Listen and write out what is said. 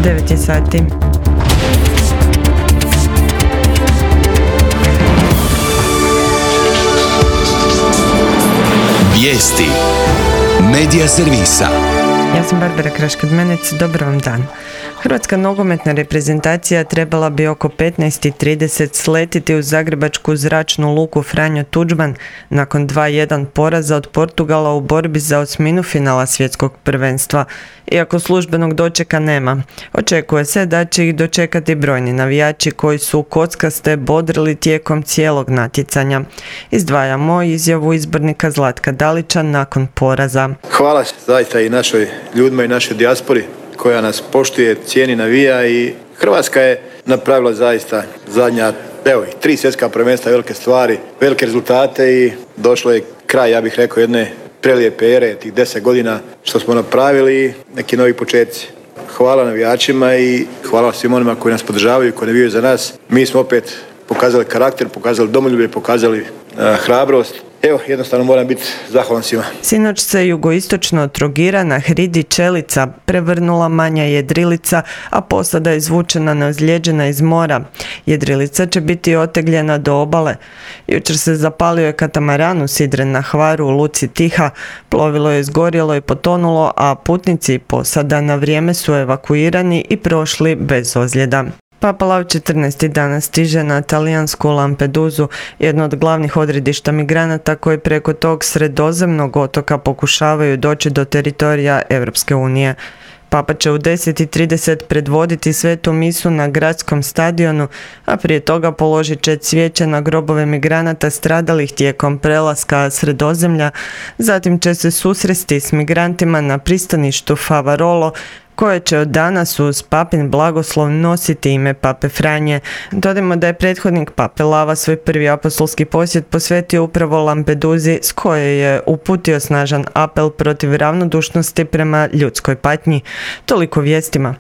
9 je sati. Vijesti Medija servisa. Ja sam Barbara Kraškadmenec, dobar vam dan. Hrvatska nogometna reprezentacija trebala bi oko 15:30 sletiti u zagrebačku zračnu luku Franjo Tuđman nakon 2:1 poraza od Portugala u borbi za osminu finala svjetskog prvenstva. Iako službenog dočeka nema, očekuje se da će ih dočekati brojni navijači koji su kockaste bodrili tijekom cijelog natjecanja. Izdvajamo izjavu izbornika Zlatka Dalića nakon poraza. Hvala zaista i našoj ljudima i našoj dijaspori koja nas poštuje, cijeni, navija i Hrvatska je napravila zaista zadnja, 3 svjetska prvenstva, velike stvari, velike rezultate i došlo je kraj, ja bih rekao, jedne prelijepe ere, tih 10 godina što smo napravili i neki novi početci. Hvala navijačima i hvala svim onima koji nas podržavaju, koji navijaju za nas. Mi smo opet pokazali karakter, pokazali domoljublje, pokazali hrabrost. Evo, jednostavno moram biti zahvalan svima. Sinoć se jugoistočno od Trogira na hridi Čelica prevrnula manja jedrilica, a posada je izvučena neozlijeđena iz mora. Jedrilica će biti otegljena do obale. Jučer se zapalio je katamaran usidren na Hvaru u luci Tiha. Plovilo je izgorjelo i potonulo, a putnici i posada na vrijeme su evakuirani i prošli bez ozljeda. Papa Lav XIV. Danas stiže na talijansku Lampedusu, jedno od glavnih odredišta migranata koji preko tog sredozemnog otoka pokušavaju doći do teritorija Europske unije. Papa će u 10:30 predvoditi svetu misu na gradskom stadionu, a prije toga položit će cvijeće na grobove migranata stradalih tijekom prelaska Sredozemlja, zatim će se susresti s migrantima na pristaništu Favarolo, koje će od danas uz papin blagoslov nositi ime Pape Franje. Dodajmo da je prethodnik Pape Lava svoj prvi apostolski posjet posvetio upravo Lampeduzi, s koje je uputio snažan apel protiv ravnodušnosti prema ljudskoj patnji. Toliko vijestima.